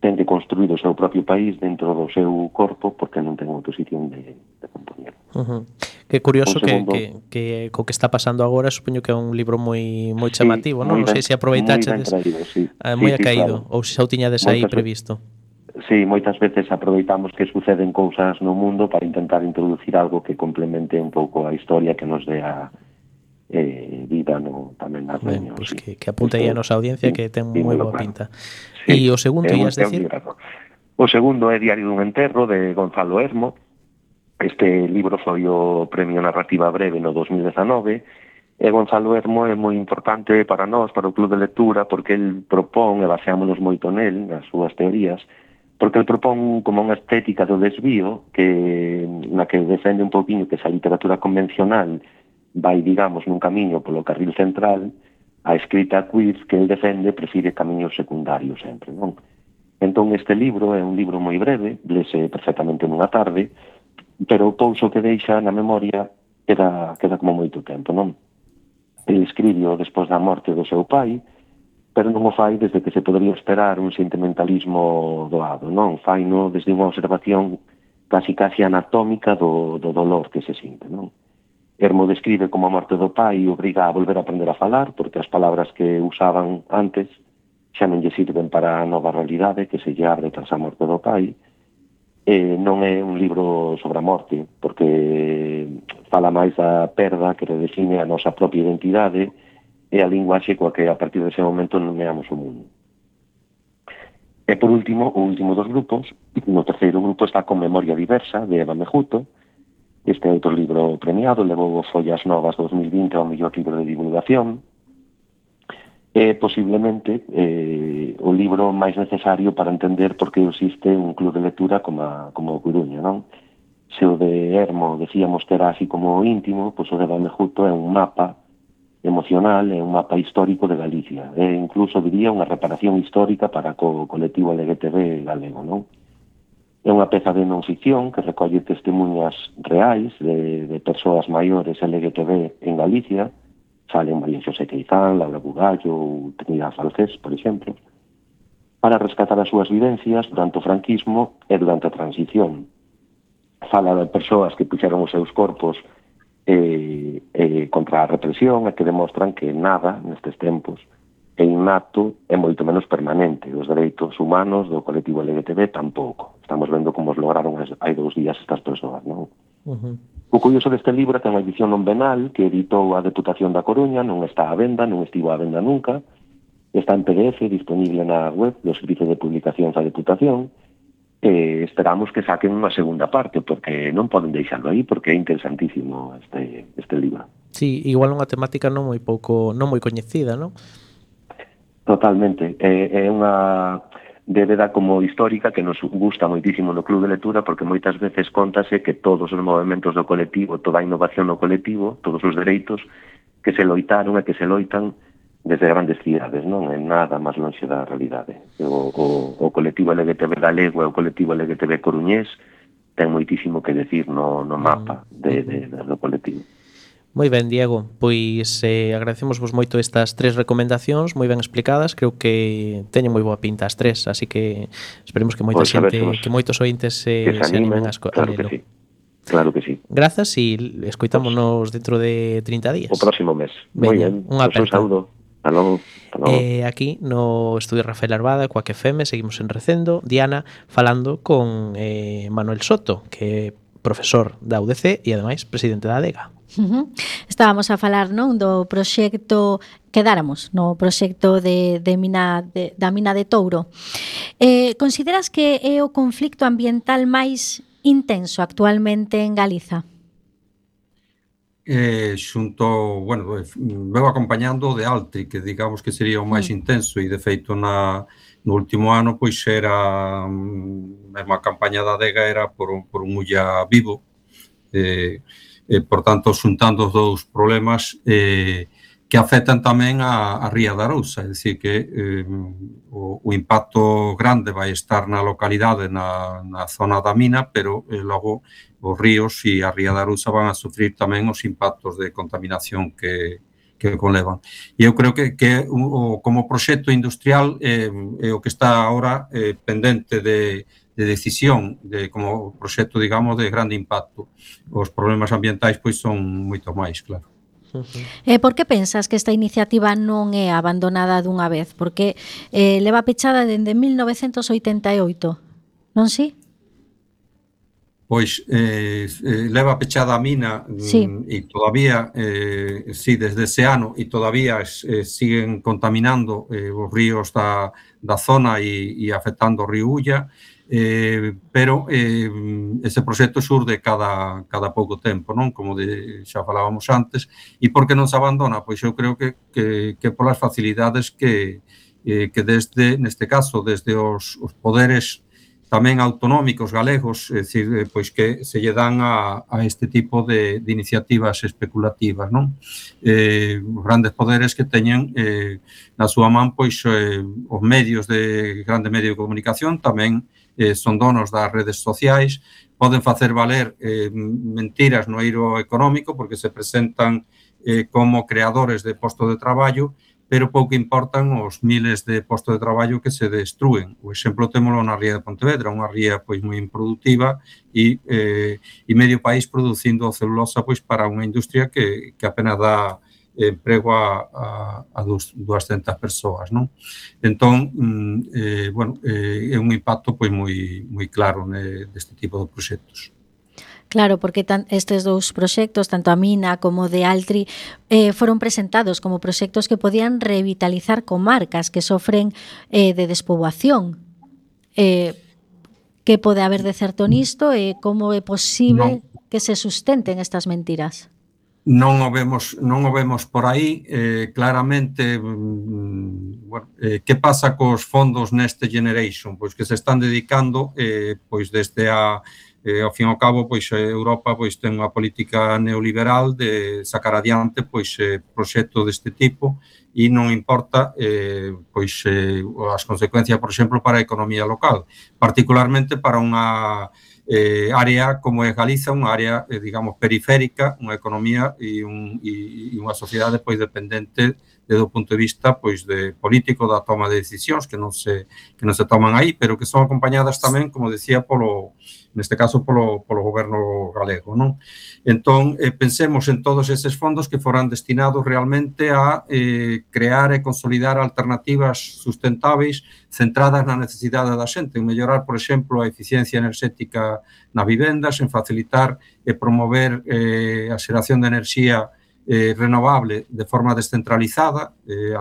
ten que construir o seu propio país dentro do seu corpo porque non ten oposición de, de compoñer. Uh-huh. Que curioso segundo, que, que, que co que está pasando agora, supoño que é un libro moi moi chamativo, sí, non? Non sei se aproveitaxedes sí. eh, moi sí, acaído, sí, claro. Ou se xa o tiñades aí previsto. Sí, moitas veces aproveitamos que suceden cousas no mundo para intentar introducir algo que complemente un pouco a historia, que nos dé a eh, vida no, tamén nas niños. Pues sí. que, que apunte aí a nosa audiencia, sí, que ten sí, moi boa claro. pinta. Sí, e o segundo, ias decir? O segundo é Diario dun enterro, de Gonzalo Hermo. Este libro foi o Premio Narrativa Breve no dos mil dezanove, e Gonzalo Hermo é moi importante para nós, para o Club de Lectura, porque el propón, e baseámonos moito nel, nas súas teorías, porque el propón como unha estética do desvío, que na que defende un pouquinho que esa literatura convencional vai, digamos, nun camiño polo carril central, a escrita queer que el defende prefire camiños secundarios sempre, non? Entón este libro é un libro moi breve, lese perfectamente nunha tarde, pero o pouso que deixa na memoria queda, queda como moito tempo, non? El escribiu despois da morte do seu pai, pero non o fai desde que se podría esperar un sentimentalismo doado, non? Faino desde unha observación casi casi anatómica do, do dolor que se sinte, non? Hermo describe como a morte do pai obriga a volver a aprender a falar, porque as palabras que usaban antes xa non lle sirven para a nova realidade que se lle abre tras a morte do pai. E non é un libro sobre a morte, porque fala máis da perda que redefine a nosa propia identidade e a linguaxe coa que a partir dese momento nomeamos o mundo. E por último, o último dos grupos, no terceiro grupo está con Memoria Diversa, de Eva Mejuto. Este outro libro premiado levou Follas Novas dos mil vinte ao mellor libro de divulgación. É posiblemente eh, o libro máis necesario para entender por que existe un club de lectura como, a, como o Coruña, non? Se o de Hermo decíamos que era así como íntimo, pois o de Eva Mejuto é un mapa emocional e un mapa histórico de Galicia. E incluso, diría, unha reparación histórica para o colectivo L G T B galego, non? É unha peza de non ficción que recolle testemunhas reais de, de persoas maiores L G T B en Galicia. Salen María Xosé Queizán, Laura Bugallo ou Trinidad Falcés, por exemplo, para rescatar as súas vivencias durante o franquismo e durante a transición. Fala de persoas que puxeron os seus corpos eh, eh, contra a represión e que demostran que nada nestes tempos é innato e moito menos permanente. Os dereitos humanos do colectivo L G T B tampouco. Estamos vendo como os lograron hai dous días estas persoas, non? Uh-huh. O curioso deste libro ten unha edición non venal que editou a Deputación da Coruña, non está á venda, non estivo á venda nunca, está en P D F disponible na web do Servicio de Publicacións da Deputación. Eh, esperamos que saquen unha segunda parte, porque non poden deixarlo aí, porque é interesantísimo este, este libro. Sí, igual unha temática non moi pouco, non moi coñecida, non? Totalmente. É, é unha débeda como histórica que nos gusta moitísimo no Club de Lectura, porque moitas veces contase que todos os movimentos do colectivo, toda a innovación do colectivo, todos os dereitos que se loitaron e que se loitan desde grandes cidades, non é nada máis lonxe da realidade. O, o, o colectivo L G T B galego e o colectivo L G T B coruñés ten moitísimo que decir no, no mapa de, de, de, do colectivo. Moi ben, Diego, pois eh, agradecemosvos moito estas tres recomendacións moi ben explicadas, creo que teñen moi boa pinta as tres, así que esperemos que moita pois xente, que moitos ointes se, que se animen, se animen a, claro que sí. Claro que sí. Grazas e escoitámonos dentro de trinta días. O próximo mes. Moi ben, un aperta. Un saúdo. Hasta logo. Hasta logo. Eh, aquí no estudio Rafael Arbada, Coac F M, seguimos en Recendo. Diana falando con eh, Manuel Soto, que é profesor da U D C e ademais presidente da ADEGA. Uh-huh. Estábamos a falar, non, do proxecto, quedáramos no proxecto de, de mina de, da mina de Touro. Eh, consideras que é o conflicto ambiental máis intenso actualmente en Galiza? Eh, xunto, bueno, veo acompañando o de Altri, que digamos que sería o máis mm. intenso, e de feito na, no último ano pois era mesmo a campaña da ADEGA era por un, por un Ulla vivo, eh, eh, por tanto xuntando os dous problemas eh, que afectan tamén a, a Ría da Arousa, é dicir que eh, o, o impacto grande vai estar na localidade, na, na zona da mina, pero eh, logo os ríos e a Ría da Arousa van a sufrir tamén os impactos de contaminación que, que conlevan. E eu creo que, que o, como proxecto industrial é, é o que está agora eh, pendente de, de decisión, de, como proxecto, digamos, de grande impacto. Os problemas ambientais pois son moito máis, claro. E por que pensas que esta iniciativa non é abandonada dunha vez? Porque eh, leva pechada dende mil novecentos oitenta e oito, non si? Pois eh, eh, leva pechada a mina sí. e todavía, eh, sí, desde ese ano, e todavía eh, siguen contaminando eh, os ríos da, da zona e, e afectando o río Ulla, eh, pero eh, ese proxecto xurde cada, cada pouco tempo, non? Como de, xa falábamos antes, e por que non se abandona? Pois eu creo que, que, que polas facilidades que, eh, que desde, neste caso, desde os, os poderes tamén autonómicos galegos, é dicir, pois que se lle dan a, a este tipo de, de iniciativas especulativas, non? Eh, os grandes poderes que teñen eh, na súa man pois eh, os medios de grande medio de comunicación, tamén eh, son donos das redes sociais, poden facer valer eh, mentiras no eiro económico porque se presentan eh, como creadores de postos de traballo, pero pouco importan os miles de postos de traballo que se destrúen. O exemplo témolo na ría de Pontevedra, unha ría pois moi improductiva e, eh, e medio país producindo celulosa pois para unha industria que, que apenas dá emprego a, a, a duascentas persoas, non? Entón, eh, bueno, eh, é un impacto pois moi, moi claro ne, deste tipo de proxectos. Claro, porque tan, estes dous proxectos, tanto a mina como de Altri, eh, foron presentados como proxectos que podían revitalizar comarcas que sofren eh, de despoboación. Eh, que pode haber de certo nisto e como é posible no. que se sustenten estas mentiras? Non o vemos, non o vemos por aí, eh, claramente, mm, bueno, eh, que pasa cos fondos Next Generation? Pois que se están dedicando, eh, pois desde a Eh, ao fin e ao cabo, pois, Europa pois, ten unha política neoliberal de sacar adiante pois, eh, proxecto deste tipo e non importa eh, pois, eh, as consecuencias, por exemplo, para a economía local, particularmente para unha eh, área como é Galiza, unha área, eh, digamos, periférica, unha economía e, un, e, e unha sociedade pois, dependente desde o punto de vista pois, de político da toma de decisións que non se, que non se toman aí, pero que son acompañadas tamén, como decía, polo neste caso polo, polo goberno galego, non? Entón, eh, pensemos en todos eses fondos que foran destinados realmente a eh, crear e consolidar alternativas sustentáveis centradas na necesidade da xente, en mellorar, por exemplo, a eficiencia enerxética nas vivendas, en facilitar e promover eh, a xeración de enerxía eh, renovable de forma descentralizada, eh,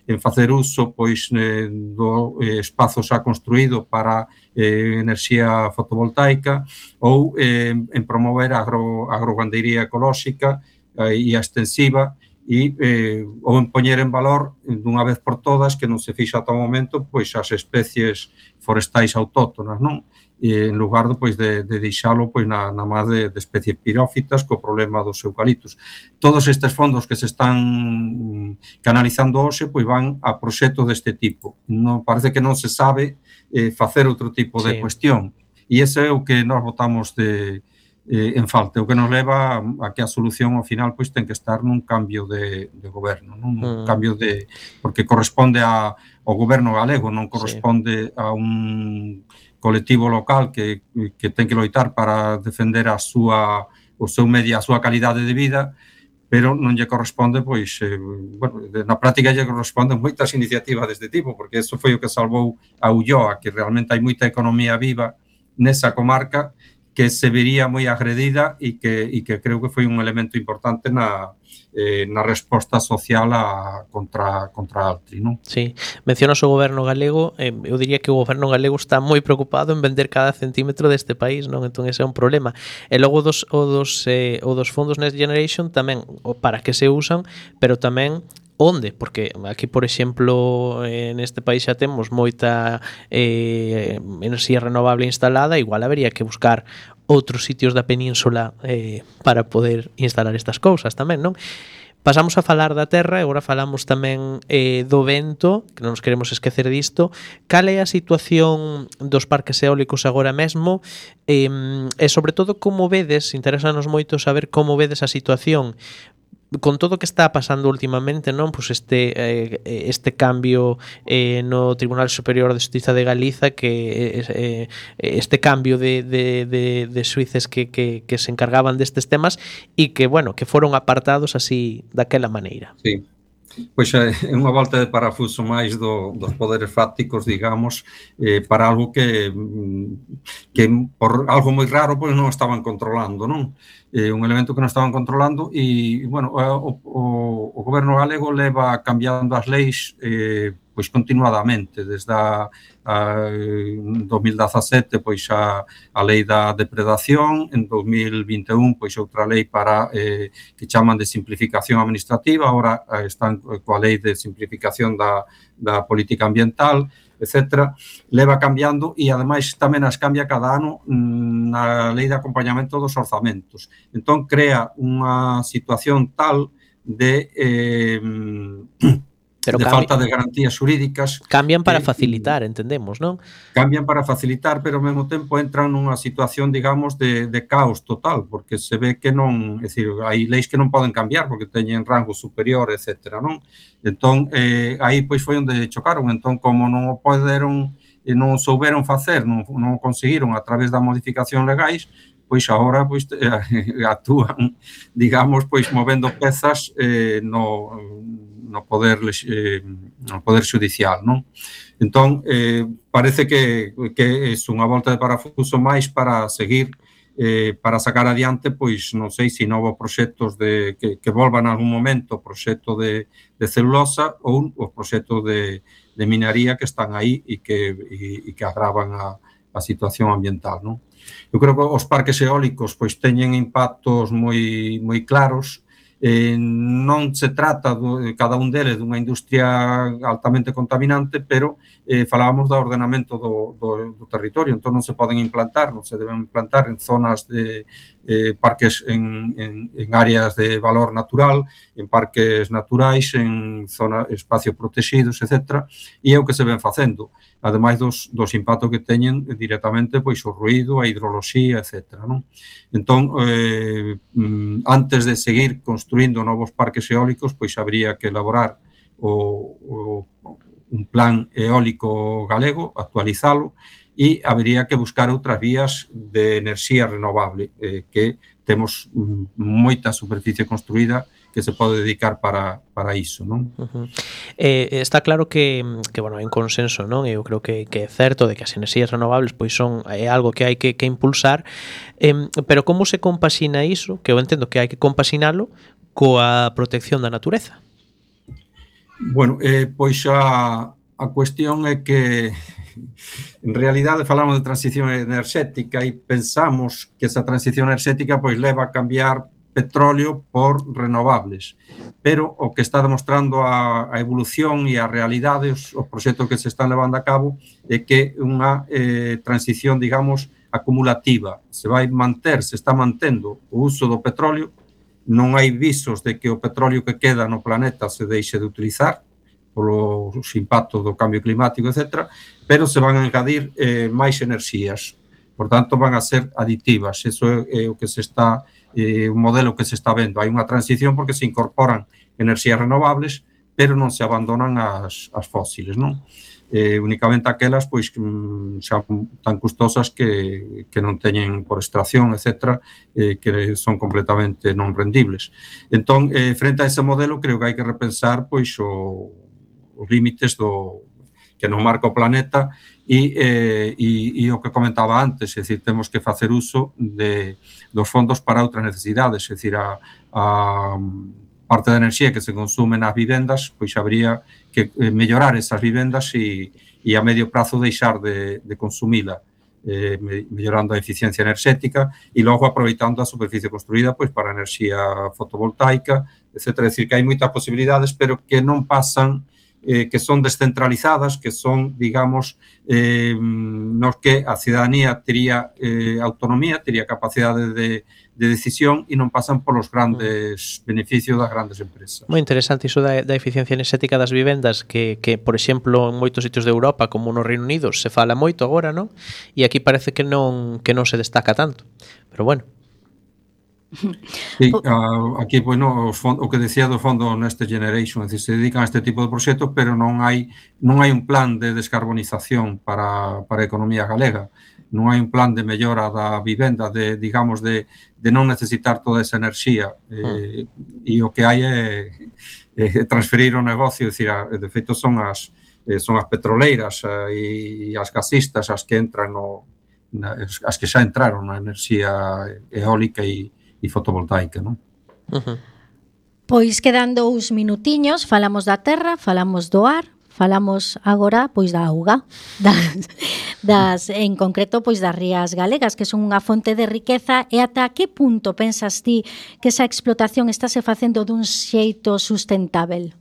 en facer uso pois, eh, do eh, espazo xa construído para eh, enerxía fotovoltaica ou eh, en promover a agro, agrogandería ecolóxica eh, e a extensiva e eh, ou en poñer en valor dunha vez por todas que non se fixa ata o momento pois as especies forestais autóctonas, non? E en lugar de, pois, de, de deixalo pois, na, na máis de, de especies pirófitas co problema dos eucaliptos. Todos estes fondos que se están canalizando hoxe pois, van a proxectos deste tipo. Non, parece que non se sabe eh, facer outro tipo de sí. cuestión. E ese é o que nós votamos de, eh, en falta, o que nos leva a, a que a solución ao final pois, ten que estar nun cambio de, de goberno, non? Un mm. cambio de... porque corresponde a, ao goberno galego, non corresponde sí. a un colectivo local que, que ten que loitar para defender a súa, o seu medio, a súa calidade de vida, pero non lle corresponde, pois, eh, bueno, na práctica lle corresponden moitas iniciativas deste tipo, porque eso foi o que salvou a Ulloa, que realmente hai moita economía viva nesa comarca que se vería moi agredida e que, e que creo que foi un elemento importante na, eh, na resposta social a, contra, contra Altri, non? Sí, mencionas o goberno galego, eh, eu diría que o goberno galego está moi preocupado en vender cada centímetro deste país, non? Entón ese é un problema. E logo dos, o, dos, eh, o dos fondos Next Generation tamén, o para que se usan, pero tamén onde, porque aquí, por exemplo, en este país xa temos moita eh, enerxía renovable instalada, igual habería que buscar outros sitios da península eh, para poder instalar estas cousas tamén, non? Pasamos a falar da terra e agora falamos tamén eh, do vento, que non nos queremos esquecer disto. Cal é a situación dos parques eólicos agora mesmo? Eh, e sobre todo, como vedes, interesanos moito saber como vedes a situación con todo o que está pasando últimamente, non? Pois este eh, este cambio eh, no Tribunal Superior de Xustiza de Galiza, que eh, este cambio de, de, de, de xuíces que, que, que se encargaban destes temas e que, bueno, que foron apartados así daquela maneira. Sí. Pois é unha volta de parafuso máis do, dos poderes fácticos, digamos, eh, para algo que, que por algo moi raro pois non estaban controlando, non? Eh, un elemento que non estaban controlando e, bueno, o, o, o goberno galego leva cambiando as leis eh, pois continuadamente, desde a, a dos mil dezasete pois a, a lei da depredación, en dos mil vinte e un pois outra lei para eh, que chaman de simplificación administrativa, agora eh, están coa lei de simplificación da, da política ambiental, etcétera, leva cambiando e ademais tamén as cambia cada ano na lei de acompañamento dos orzamentos. Entón crea unha situación tal de eh, Pero de cambi... falta de garantías xurídicas. Cambian para que, facilitar, entendemos, non? Cambian para facilitar, pero ao mesmo tempo entran nunha situación, digamos, de, de caos total, porque se ve que non, é dicir, hai leis que non poden cambiar porque teñen rango superior, etcétera, non? Entón, eh, aí pois foi onde chocaron, entón, como non o poderon e non souberon facer, non, non conseguiron a través da modificación legais, pois agora pois eh, actúan, digamos, pois movendo pezas eh, no no poder eh, no poder judicial, non? Entón, eh, parece que, que é unha volta de parafuso máis para seguir, eh, para sacar adiante, pois, non sei se novos proxectos de, que, que volvan en algún momento, proxecto de, de celulosa ou os proxectos de, de minería que están aí e que, e, e que agravan a, a situación ambiental, non? Eu creo que os parques eólicos pois teñen impactos moi moi claros Eh, non se trata do, cada un deles dunha industria altamente contaminante, pero eh, falábamos do ordenamento do, do, do territorio, entón non se poden implantar, non se deben implantar en zonas de eh, parques en, en, en áreas de valor natural, en parques naturais, en zona, espacios protegidos, etcétera, e é o que se ven facendo, ademais dos, dos impactos que teñen directamente pois o ruído, a hidroloxía, etcétera, non? Entón, eh, antes de seguir construindo novos parques eólicos, pois habría que elaborar o, o, un plan eólico galego, actualizalo, e habería que buscar outras vías de enerxía renovable, eh, que temos moita superficie construída que se pode dedicar para, para iso, non? Uh-huh. Eh, está claro que, que bueno, hai un consenso, non? Eu creo que, que é certo de que as enerxías renovables pois son é algo que hai que, que impulsar, eh, pero como se compaxina iso, que eu entendo que hai que compaxinalo coa protección da natureza? Bueno, eh, pois a, a cuestión é que en realidade falamos de transición enerxética e pensamos que esa transición enerxética pois leva a cambiar petróleo por renovables, pero o que está demostrando a, a evolución e a realidade, os, os proxectos que se están levando a cabo, é que unha eh, transición, digamos, acumulativa. Se vai manter, se está mantendo o uso do petróleo, non hai visos de que o petróleo que queda no planeta se deixe de utilizar, polos impactos do cambio climático, etcétera, pero se van a engadir eh, máis enerxías. Por tanto, van a ser aditivas. Eso é, é o que se está, eh, un modelo que se está vendo. Hai unha transición porque se incorporan enerxías renovables, pero non se abandonan as, as fósiles, non? Eh, únicamente aquelas pois xa tan custosas que, que non teñen por extracción, etcétera, eh, que son completamente non rendibles. Entón, eh, frente a ese modelo, creo que hai que repensar pois o os límites do que nos marca o planeta e, eh, e, e o que comentaba antes, é dicir, temos que facer uso de, dos fondos para outras necesidades, é dicir, a, a parte da enerxía que se consume nas vivendas, pois habría que mellorar esas vivendas e, e a medio prazo deixar de, de consumila, eh, mellorando a eficiencia enerxética e logo aproveitando a superficie construída pois para a enerxía fotovoltaica, etcétera. É dicir, que hai moitas posibilidades, pero que non pasan Eh, que son descentralizadas, que son, digamos, eh, nos que a cidadanía tería eh, autonomía, tería capacidade de, de decisión e non pasan polos grandes beneficios das grandes empresas. Moi interesante iso da, da eficiencia enerxética das vivendas que, que, por exemplo, en moitos sitios de Europa, como no Reino Unido, se fala moito agora, non? E aquí parece que non, que non se destaca tanto. Pero bueno. Sí, aquí, bueno, o que decía do fondo Next Generation, é dicir, se dedican a este tipo de proxectos, pero non hai non hai un plan de descarbonización para, para a economía galega, non hai un plan de mellora da vivenda, de, digamos, de, de non necesitar toda esa enerxía, eh, e o que hai é, é transferir o negocio, é dicir, de feito son as, son as petroleiras e as gasistas as que entran no, as que xa entraron na enerxía eólica e e fotovoltaica, non? Uh-huh. Pois quedan dous minutiños, falamos da terra, falamos do ar, falamos agora pois da auga, das, das en concreto pois das rías galegas, que son unha fonte de riqueza, e ata que punto pensas ti que esa explotación estáse facendo dun xeito sustentável?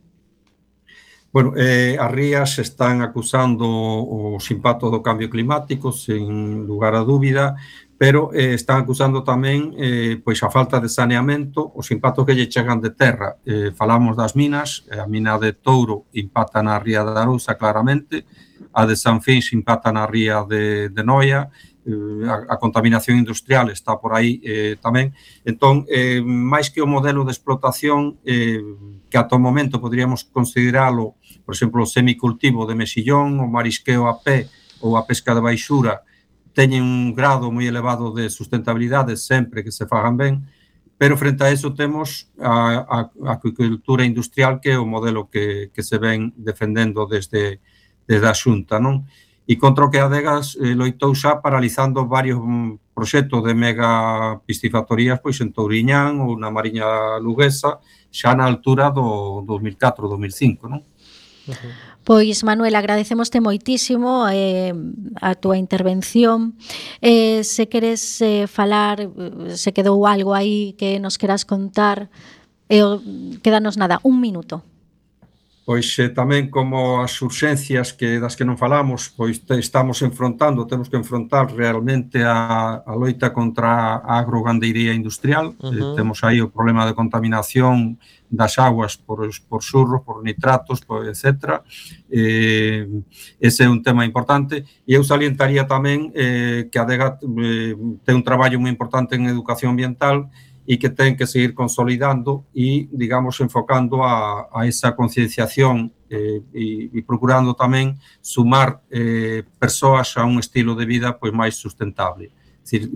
Bueno, eh, as rías están acusando os impactos do cambio climático, sen lugar a dúbida, pero eh, están acusando tamén eh, pois a falta de saneamento, os impactos que lle chegan de terra. Eh, falamos das minas, a mina de Touro impacta na ría de Arousa claramente, a de San Fins impacta na ría de, de Noia, eh, a, a contaminación industrial está por aí eh, tamén. Entón, eh, máis que o modelo de explotación, eh, que ata o momento poderíamos consideralo, por exemplo, o semicultivo de mexillón, o marisqueo a pé ou a pesca de baixura, teñen un grado moi elevado de sustentabilidade sempre que se fagan ben, pero frente a eso temos a, a, a acuicultura industrial, que é o modelo que, que se ven defendendo desde, desde a Xunta, non? E contra o que Adegas eh, loitou xa paralizando varios proxectos de mega piscifactorías pois en Touriñán ou na Mariña Luguesa, xa na altura do dos mil catro, dos mil cinco, non? Uh-huh. Pois, Manuel, agradecemoste moitísimo eh, a túa intervención. Eh, se queres eh, falar, se quedou algo aí que nos queras contar, E o, quédanos nada, un minuto. Pois eh, tamén como as urxencias que das que non falamos, pois te, estamos enfrontando, temos que enfrontar realmente a, a loita contra a agrogandeiría industrial. Uh-huh. eh, temos aí o problema de contaminación das aguas por, por surros, por nitratos, por etcétera. Eh, ese é un tema importante. E eu salientaría tamén eh, que a Adega eh, ten un traballo moi importante en educación ambiental e que ten que seguir consolidando e, digamos, enfocando a, a esa concienciación eh, e, e procurando tamén sumar eh, persoas a un estilo de vida pois máis sustentable. Es decir,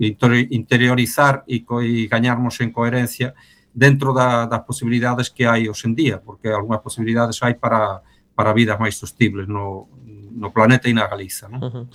interiorizar e, co, e gañarmos en coherencia dentro da, das posibilidades que hai hoxe en día, porque algunhas posibilidades hai para, para vidas máis sostibles no, no planeta e na Galiza, non? Uh-huh.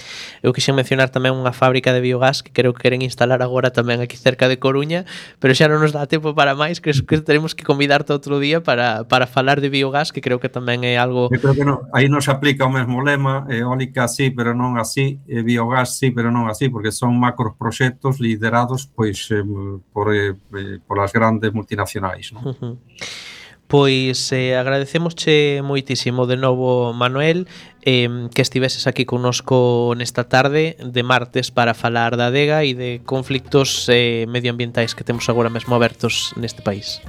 Eu quixen mencionar tamén unha fábrica de biogás que creo que queren instalar agora tamén aquí cerca de Coruña, pero xa non nos dá tempo para máis, que, que teremos que convidarte outro día para, para falar de biogás, que creo que tamén é algo... Eu creo que non, aí non se aplica o mesmo lema, eólica sí, pero non así, e biogás sí, pero non así, porque son macros proxectos liderados pois eh, por, eh, por as grandes multinacionais, non? Uh-huh. Pois eh, agradecemosche moitísimo de novo, Manuel, eh, que estiveses aquí connosco nesta tarde de martes para falar da adega e de conflictos eh, medioambientais que temos agora mesmo abertos neste país.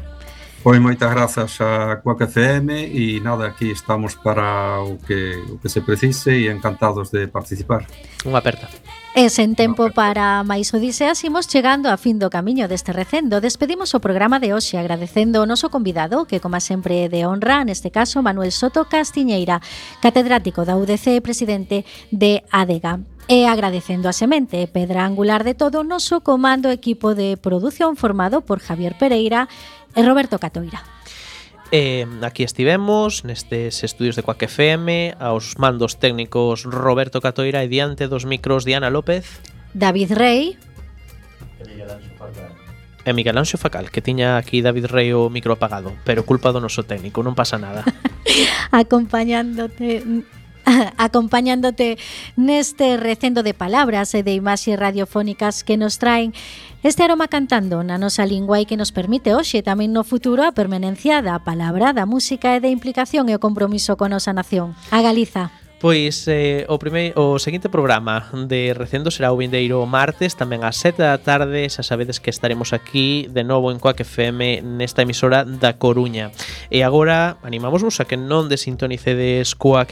Pois moitas grazas a Quack F M e nada, aquí estamos para o que, o que se precise e encantados de participar. Unha aperta. E sen tempo para máis odiseas, imos chegando a fin do camiño deste recendo. Despedimos o programa de hoxe agradecendo o noso convidado, que como sempre de honra, neste caso Manuel Soto Castiñeira, catedrático da U D C e presidente de Adega. E agradecendo a semente, pedra angular de todo o noso comando equipo de produción formado por Javier Pereira e Roberto Catoira. Eh, aquí estivemos nestes estudios de Quack F M, aos mandos técnicos Roberto Catoira e diante dos micros Diana López, David Rey e Miguel Anxo Facal, que tiña aquí David Rey o micro apagado, pero culpa do noso técnico, non pasa nada. acompañándote acompañándote neste recendo de palabras e de imaxes radiofónicas que nos traen este aroma cantando na nosa lingua e que nos permite hoxe tamén no futuro a permanencia da palabra, da música e da implicación e o compromiso con nosa nación. A Galiza. Pois eh, o, primeiro, o seguinte programa de Recendo será o vindeiro martes, tamén ás sete da tarde. Xa sabedes que estaremos aquí de novo en Quack F M nesta emisora da Coruña. E agora animámosvos a que non desintonicedes Quack